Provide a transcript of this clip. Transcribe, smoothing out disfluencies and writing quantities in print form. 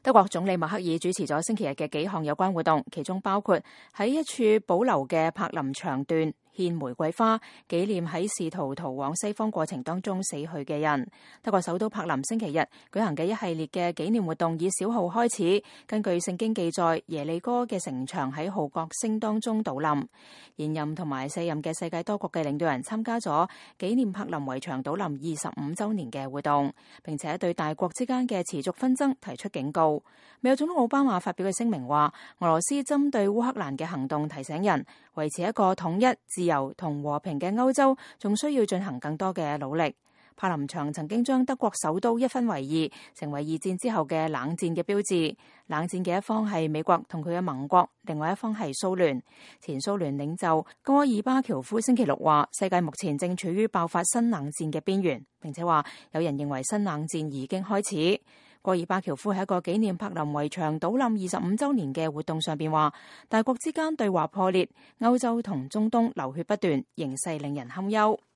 德國總理默克爾主持咗星期日嘅幾項有關活動，其中包括喺一處保留嘅柏林牆段獻玫瑰花，紀念喺試圖逃往西方過程當中死去嘅人。德國首都柏林星期日舉行嘅一系列嘅紀念活動以小號開始，根據聖經記載，耶利哥嘅城牆喺號角聲當中倒冧。現任同埋卸任嘅世界多國嘅領導人參加咗紀念柏林圍牆倒冧25週年嘅活動，並且對大國之間嘅持續紛爭提出警告。美國總統奧巴馬發表嘅聲明話，俄羅斯針對烏克蘭嘅行動提醒人，維持一個統一、自由同和平嘅歐洲，仲需要進行更多嘅努力。柏林牆曾經將德國首都一分為二，成為二戰之後嘅冷戰嘅標誌。冷戰嘅一方係美國同佢嘅盟國，另外一方係蘇聯。前蘇聯領袖戈爾巴喬夫星期六話，世界目前正處於爆發新冷戰嘅邊緣，並且話有人認為新冷戰已經開始。戈爾巴喬夫喺一個紀念柏林圍牆倒冧25週年嘅活動上邊話，大國之間對話破裂，歐洲同中東流血不斷，形勢令人堪憂。